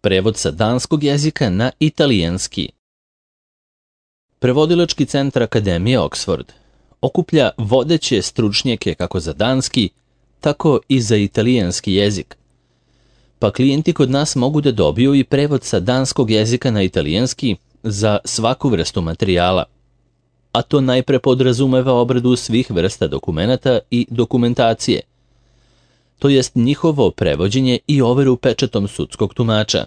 Prevod sa danskog jezika na italijanski. Prevodilački centar Akademije Oxford okuplja vodeće stručnjake kako za danski, tako i za italijanski jezik. Pa klijenti kod nas mogu da dobiju i prevod sa danskog jezika na italijanski za svaku vrstu materijala. A to najpre podrazumeva obradu svih vrsta dokumenata i dokumentacije, to jest njihovo prevođenje i overu pečatom sudskog tumača,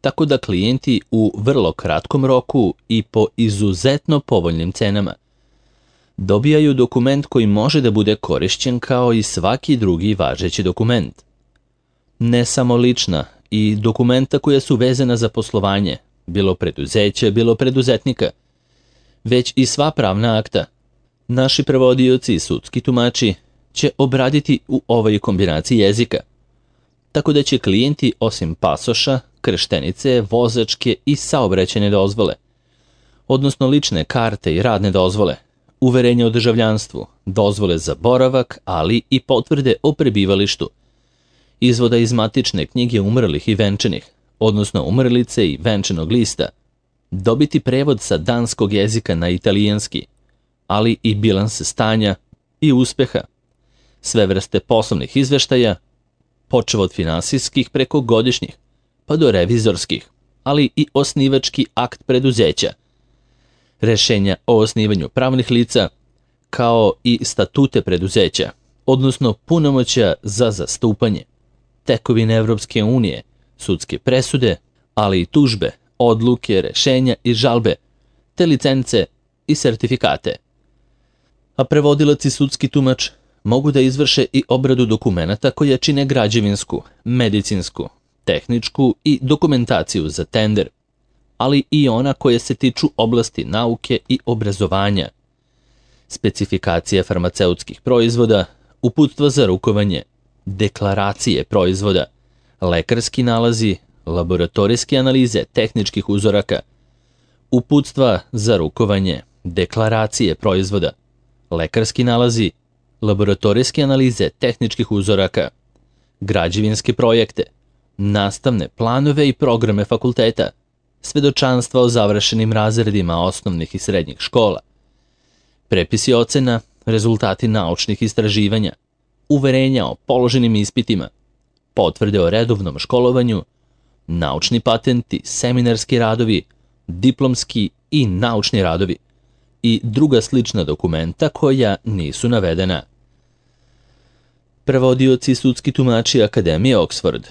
tako da klijenti u vrlo kratkom roku i po izuzetno povoljnim cenama dobijaju dokument koji može da bude korišćen kao i svaki drugi važeći dokument. Ne samo lična i dokumenta koja su vezana za poslovanje, bilo preduzeće, bilo preduzetnika, već i sva pravna akta. Naši prevodioci i sudski tumači će obraditi u ovoj kombinaciji jezika, tako da će klijenti osim pasoša, krštenice, vozačke i saobraćajne dozvole, odnosno lične karte i radne dozvole, uverenja o državljanstvu, dozvole za boravak, ali i potvrde o prebivalištu, izvoda iz matične knjige umrlih i venčanih, odnosno umrlice i venčanog lista, dobiti prevod sa danskog jezika na italijanski, ali i bilans stanja i uspeha, sve vrste poslovnih izveštaja, počev od finansijskih preko godišnjih, pa do revizorskih, ali i osnivački akt preduzeća, rešenja o osnivanju pravnih lica, kao i statute preduzeća, odnosno punomoćja za zastupanje, tekovine Evropske unije, sudske presude, ali i tužbe, odluke, rešenja i žalbe, te licence i sertifikate. A prevodilac i sudski tumač mogu da izvrše i obradu dokumenata koja čine građevinsku, medicinsku, tehničku i dokumentaciju za tender, ali i ona koje se tiču oblasti nauke i obrazovanja, specifikacije farmaceutskih proizvoda, uputstva za rukovanje, deklaracije proizvoda, lekarski nalazi, laboratorijske analize tehničkih uzoraka, uputstva za rukovanje, deklaracije proizvoda, lekarski nalazi, laboratorijske analize tehničkih uzoraka, građevinske projekte, nastavne planove i programe fakulteta, svedočanstva o završenim razredima osnovnih i srednjih škola, prepisi ocena, rezultati naučnih istraživanja, uverenja o položenim ispitima, potvrde o redovnom školovanju, naučni patenti, seminarski radovi, diplomski i naučni radovi i druga slična dokumenta koja nisu navedena. Prevodioci i sudski tumači Akademije Oxford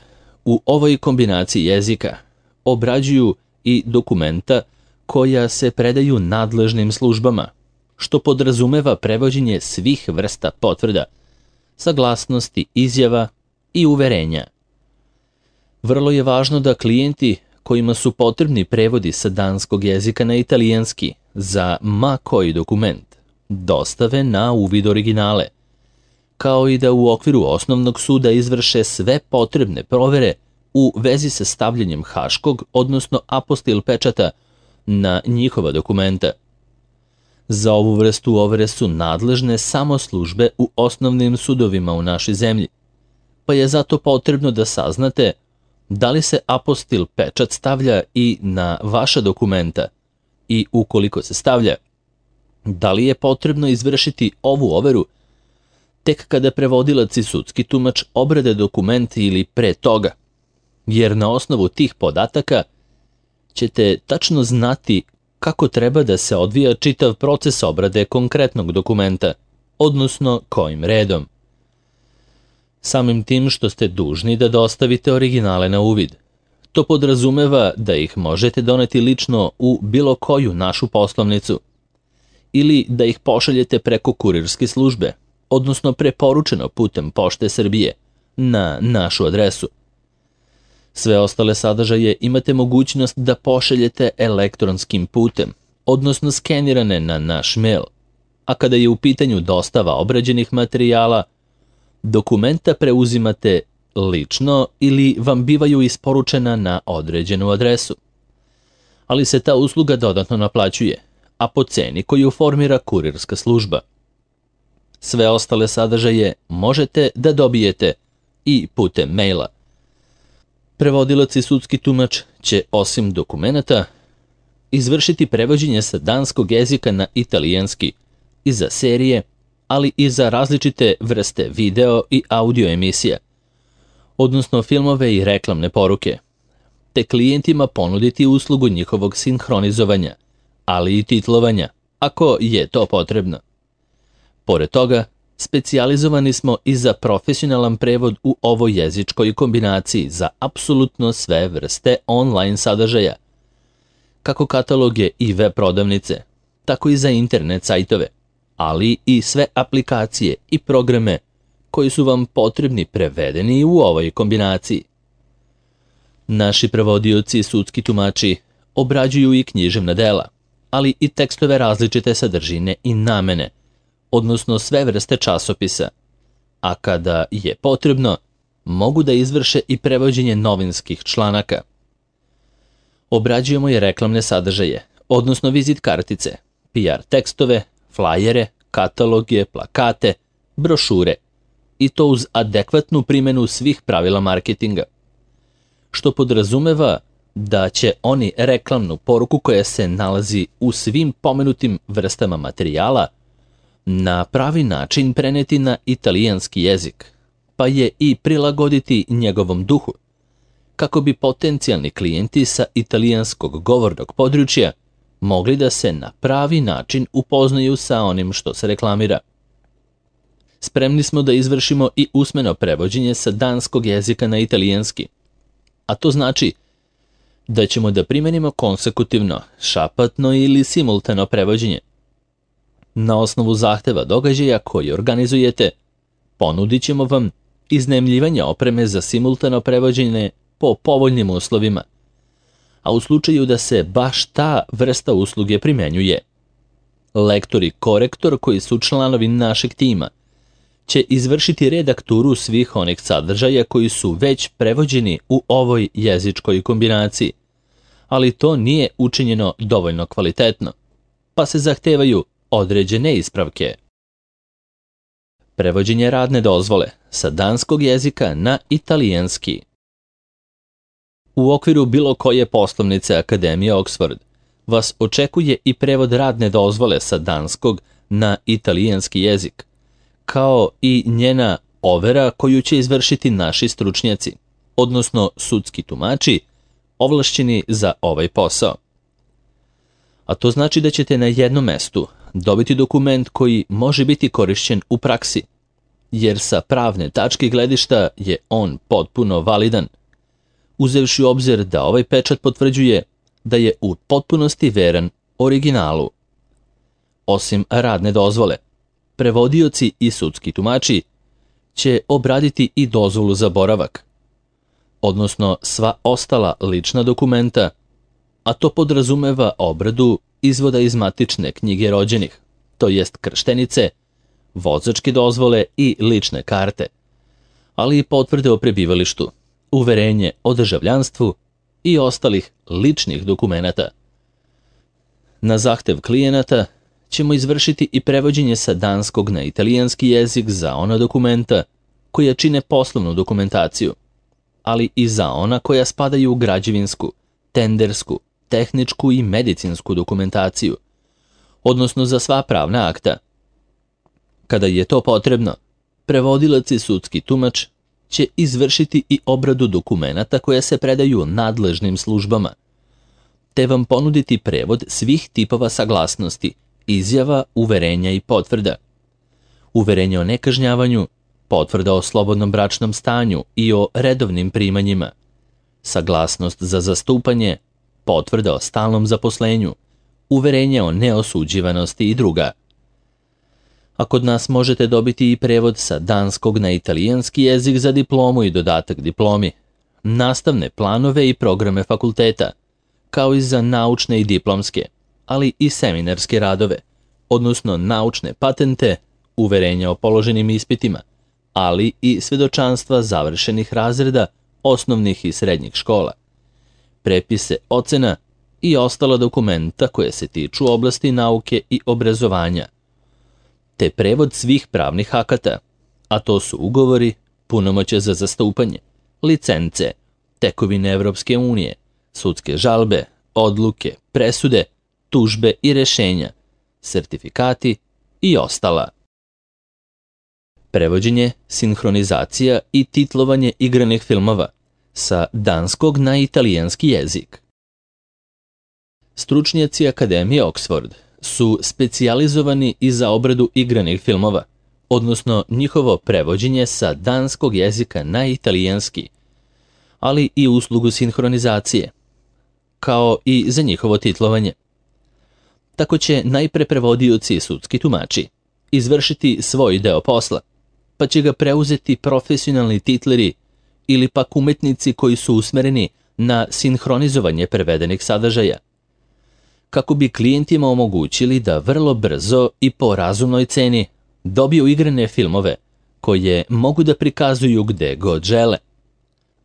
u ovoj kombinaciji jezika obrađuju i dokumenta koja se predaju nadležnim službama, što podrazumeva prevođenje svih vrsta potvrda, saglasnosti, izjava i uverenja. Vrlo je važno da klijenti kojima su potrebni prevodi sa danskog jezika na italijanski za ma koji dokument dostave na uvid originale, kao i da u okviru osnovnog suda izvrše sve potrebne provere u vezi sa stavljanjem haškog, odnosno apostil pečata na njihova dokumenta. Za ovu vrstu overe su nadležne samo službe u osnovnim sudovima u našoj zemlji, pa je zato potrebno da saznate da li se apostil pečat stavlja i na vaša dokumenta i ukoliko se stavlja, da li je potrebno izvršiti ovu overu tek kada prevodilac i sudski tumač obrade dokument ili pre toga, jer na osnovu tih podataka ćete tačno znati kako treba da se odvija čitav proces obrade konkretnog dokumenta, odnosno kojim redom. Samim tim što ste dužni da dostavite originale na uvid, to podrazumeva da ih možete doneti lično u bilo koju našu poslovnicu ili da ih pošaljete preko kurirske službe, odnosno preporučeno putem Pošte Srbije na našu adresu. Sve ostale sadržaje imate mogućnost da pošaljete elektronskim putem, odnosno skenirane na naš mail, a kada je u pitanju dostava obrađenih materijala, dokumenta preuzimate lično ili vam bivaju isporučena na određenu adresu. Ali se ta usluga dodatno naplaćuje, a po ceni koju formira kurirska služba. Sve ostale sadržaje možete da dobijete i putem maila. Prevodilac i sudski tumač će osim dokumenata izvršiti prevođenje sa danskog jezika na italijanski i za serije, ali i za različite vrste video i audio emisija, odnosno filmove i reklamne poruke, te klijentima ponuditi uslugu njihovog sinhronizovanja, ali i titlovanja, ako je to potrebno. Pored toga, specijalizovani smo i za profesionalan prevod u ovoj jezičkoj kombinaciji za apsolutno sve vrste online sadržaja, kako kataloge i web prodavnice, tako i za internet sajtove, ali i sve aplikacije i programe koji su vam potrebni prevedeni u ovoj kombinaciji. Naši prevodioci i sudski tumači obrađuju i književna dela, ali i tekstove različite sadržine i namene, odnosno sve vrste časopisa, a kada je potrebno, mogu da izvrše i prevođenje novinskih članaka. Obrađujemo i reklamne sadržaje, odnosno vizit kartice, PR tekstove, flajere, kataloge, plakate, brošure, i to uz adekvatnu primjenu svih pravila marketinga, što podrazumeva da će oni reklamnu poruku koja se nalazi u svim pomenutim vrstama materijala na pravi način preneti na italijanski jezik, pa je i prilagoditi njegovom duhu, kako bi potencijalni klijenti sa italijanskog govornog područja mogli da se na pravi način upoznaju sa onim što se reklamira. Spremni smo da izvršimo i usmeno prevođenje sa danskog jezika na italijanski, a to znači da ćemo da primenimo konsekutivno, šapatno ili simultano prevođenje. Na osnovu zahteva događaja koji organizujete, ponudit ćemo vam iznajmljivanje opreme za simultano prevođenje po povoljnim uslovima, a u slučaju da se baš ta vrsta usluge primenjuje, lektor i korektor koji su članovi našeg tima će izvršiti redakturu svih onih sadržaja koji su već prevođeni u ovoj jezičkoj kombinaciji, ali to nije učinjeno dovoljno kvalitetno, pa se zahtevaju određene ispravke. Prevođenje radne dozvole sa danskog jezika na italijanski. U okviru bilo koje poslovnice Akademije Oxford vas očekuje i prevod radne dozvole sa danskog na italijanski jezik, kao i njena overa koju će izvršiti naši stručnjaci, odnosno sudski tumači, ovlašćeni za ovaj posao. A to znači da ćete na jednom mestu dobiti dokument koji može biti korišćen u praksi, jer sa pravne tačke gledišta je on potpuno validan, uzevši u obzir da ovaj pečat potvrđuje da je u potpunosti veran originalu. Osim radne dozvole, prevodioci i sudski tumači će obraditi i dozvolu za boravak, odnosno sva ostala lična dokumenta, a to podrazumeva obradu izvoda iz matične knjige rođenih, to jest krštenice, vozačke dozvole i lične karte, ali i potvrde o prebivalištu, uverenje o državljanstvu i ostalih ličnih dokumenata. Na zahtev klijenata ćemo izvršiti i prevođenje sa danskog na italijanski jezik za ona dokumenta koja čine poslovnu dokumentaciju, ali i za ona koja spadaju u građevinsku, tendersku, tehničku i medicinsku dokumentaciju, odnosno za sva pravna akta. Kada je to potrebno, prevodilac i sudski tumač će izvršiti i obradu dokumenata koja se predaju nadležnim službama, te vam ponuditi prevod svih tipova saglasnosti, izjava, uverenja i potvrda. Uverenje o nekažnjavanju, potvrda o slobodnom bračnom stanju i o redovnim primanjima, saglasnost za zastupanje, potvrda o stalnom zaposlenju, uverenje o neosuđivanosti i druga. A kod nas možete dobiti i prevod sa danskog na italijanski jezik za diplomu i dodatak diplomi, nastavne planove i programe fakulteta, kao i za naučne i diplomske, ali i seminarske radove, odnosno naučne patente, uverenja o položenim ispitima, ali i svedočanstva završenih razreda osnovnih i srednjih škola, prepise ocena i ostala dokumenta koje se tiču oblasti nauke i obrazovanja, te prevod svih pravnih akata, a to su ugovori, punomoćje za zastupanje, licence, tekovine Evropske unije, sudske žalbe, odluke, presude, tužbe i rešenja, sertifikati i ostala. Prevođenje, sinhronizacija i titlovanje igranih filmova sa danskog na italijanski jezik. Stručnjaci Akademije Oxford su specijalizovani i za obradu igranih filmova, odnosno njihovo prevođenje sa danskog jezika na italijanski, ali i uslugu sinhronizacije, kao i za njihovo titlovanje. Tako će najpre prevodioci i sudski tumači izvršiti svoj deo posla, pa će ga preuzeti profesionalni titleri ili pak umetnici koji su usmereni na sinhronizovanje prevedenih sadržaja, kako bi klijentima omogućili da vrlo brzo i po razumnoj ceni dobiju igrane filmove koje mogu da prikazuju gde god žele.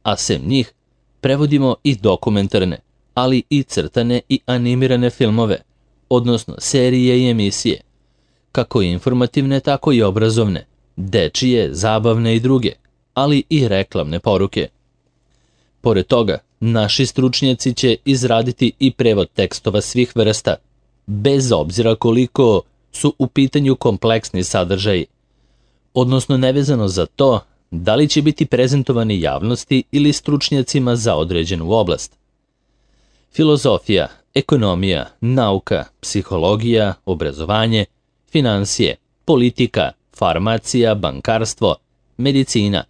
A sem njih, prevodimo i dokumentarne, ali i crtane i animirane filmove, odnosno serije i emisije, kako informativne, tako i obrazovne, dečije, zabavne i druge, ali i reklamne poruke. Pored toga, naši stručnjaci će izraditi i prevod tekstova svih vrsta, bez obzira koliko su u pitanju kompleksni sadržaji, odnosno nevezano za to da li će biti prezentovani javnosti ili stručnjacima za određenu oblast. Filozofija, ekonomija, nauka, psihologija, obrazovanje, finansije, politika, farmacija, bankarstvo, medicina,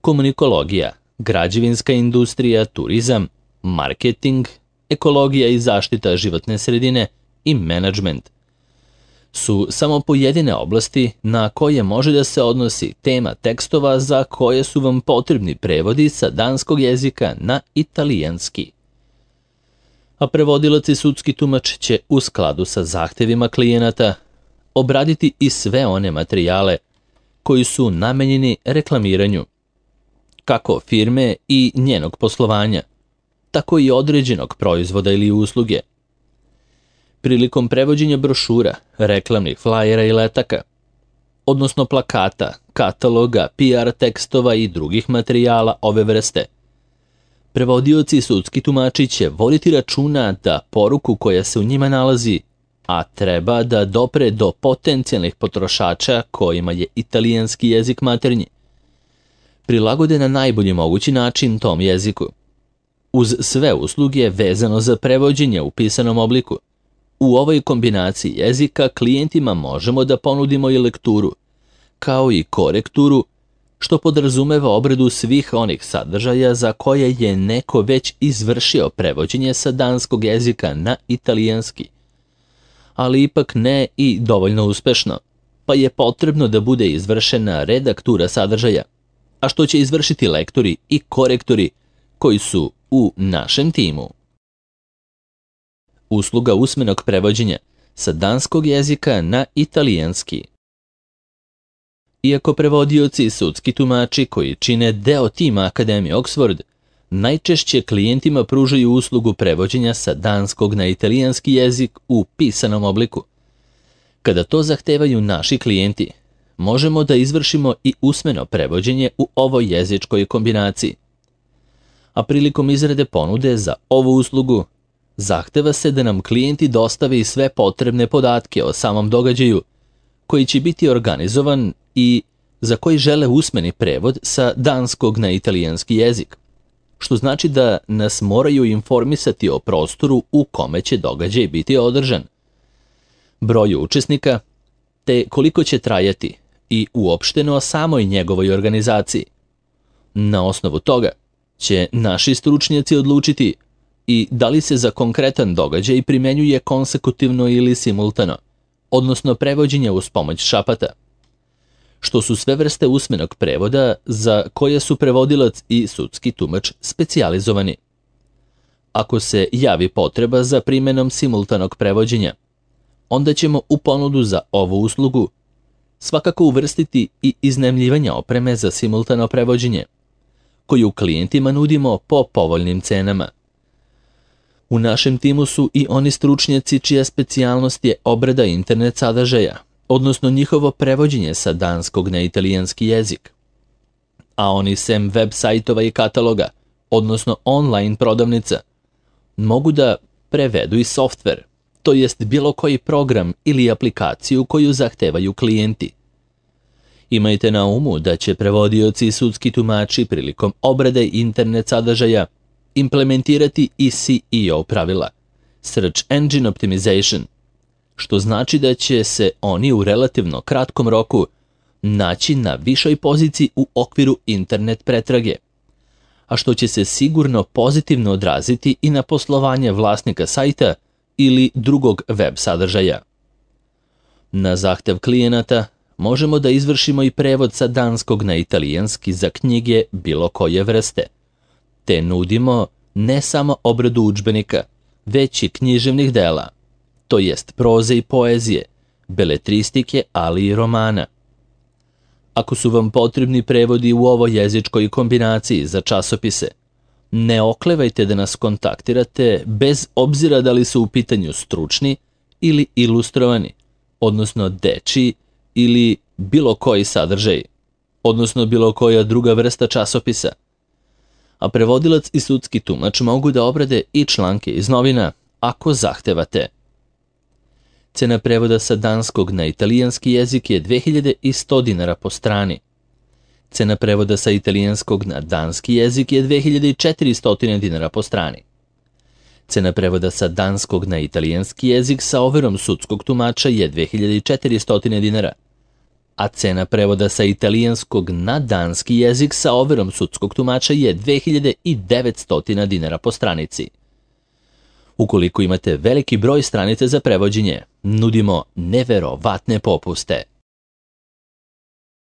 komunikologija, građevinska industrija, turizam, marketing, ekologija i zaštita životne sredine i menadžment su samo pojedine oblasti na koje može da se odnosi tema tekstova za koje su vam potrebni prevodi sa danskog jezika na italijanski. A prevodilac i sudski tumač će u skladu sa zahtevima klijenata obraditi i sve one materijale koji su namenjeni reklamiranju, kako firme i njenog poslovanja, tako i određenog proizvoda ili usluge. Prilikom prevođenja brošura, reklamnih flajera i letaka, odnosno plakata, kataloga, PR tekstova i drugih materijala ove vrste, prevodioci i sudski tumači će voditi računa da poruku koja se u njima nalazi, a treba da dopre do potencijalnih potrošača kojima je italijanski jezik maternji, prilagode na najbolji mogući način tom jeziku. Uz sve usluge vezano za prevođenje u pisanom obliku, u ovoj kombinaciji jezika klijentima možemo da ponudimo i lekturu, kao i korekturu, što podrazumeva obradu svih onih sadržaja za koje je neko već izvršio prevođenje sa danskog jezika na italijanski, ali ipak ne i dovoljno uspešno, pa je potrebno da bude izvršena redaktura sadržaja, a što će izvršiti lektori i korektori koji su u našem timu. Usluga usmenog prevođenja sa danskog jezika na italijanski. Iako prevodioci i sudski tumači koji čine deo tima Akademije Oxford najčešće klijentima pružaju uslugu prevođenja sa danskog na italijanski jezik u pisanom obliku, kada to zahtevaju naši klijenti, možemo da izvršimo i usmeno prevođenje u ovoj jezičkoj kombinaciji. A prilikom izrade ponude za ovu uslugu, zahteva se da nam klijenti dostave i sve potrebne podatke o samom događaju, koji će biti organizovan i za koji žele usmeni prevod sa danskog na italijanski jezik, što znači da nas moraju informisati o prostoru u kome će događaj biti održan, broju učesnika, te koliko će trajati i uopšteno o samoj njegovoj organizaciji. Na osnovu toga će naši stručnjaci odlučiti i da li se za konkretan događaj primenjuje konsekutivno ili simultano, odnosno prevođenje uz pomoć šapata, što su sve vrste usmenog prevoda za koje su prevodilac i sudski tumač specijalizovani. Ako se javi potreba za primenom simultanog prevođenja, onda ćemo u ponudu za ovu uslugu svakako uvrstiti i iznajmljivanje opreme za simultano prevođenje, koju klijentima nudimo po povoljnim cenama. U našem timu su i oni stručnjaci čija specijalnost je obrada internet sadržaja, odnosno njihovo prevođenje sa danskog na italijanski jezik. A oni sem web sajtova i kataloga odnosno online prodavnica. Mogu da prevedu i softver, to jest bilo koji program ili aplikaciju koju zahtevaju klijenti. Imajte na umu da će prevodioci i sudski tumači prilikom obrade internet sadržaja implementirati i SEO pravila, Search Engine Optimization, što znači da će se oni u relativno kratkom roku naći na višoj poziciji u okviru internet pretrage, a što će se sigurno pozitivno odraziti i na poslovanje vlasnika sajta ili drugog web sadržaja. Na zahtev klijenata možemo da izvršimo i prevod sa danskog na italijanski za knjige bilo koje vrste, te nudimo ne samo obradu udžbenika, već i književnih dela, to jest proze i poezije, beletristike, ali i romana. Ako su vam potrebni prevodi u ovoj jezičkoj kombinaciji za časopise, ne oklevajte da nas kontaktirate bez obzira da li su u pitanju stručni ili ilustrovani, odnosno dečiji ili bilo koji sadržaj, odnosno bilo koja druga vrsta časopisa. A prevodilac i sudski tumač mogu da obrade i članke iz novina ako zahtevate. Cena prevoda sa danskog na italijanski jezik je 2100 dinara po strani. Cena prevoda sa italijanskog na danski jezik je 2400 dinara po strani. Cena prevoda sa danskog na italijanski jezik sa overom sudskog tumača je 2400 dinara, a cena prevoda sa italijanskog na danski jezik sa overom sudskog tumača je 2900 dinara po stranici. Ukoliko imate veliki broj stranica za prevođenje, nudimo neverovatne popuste.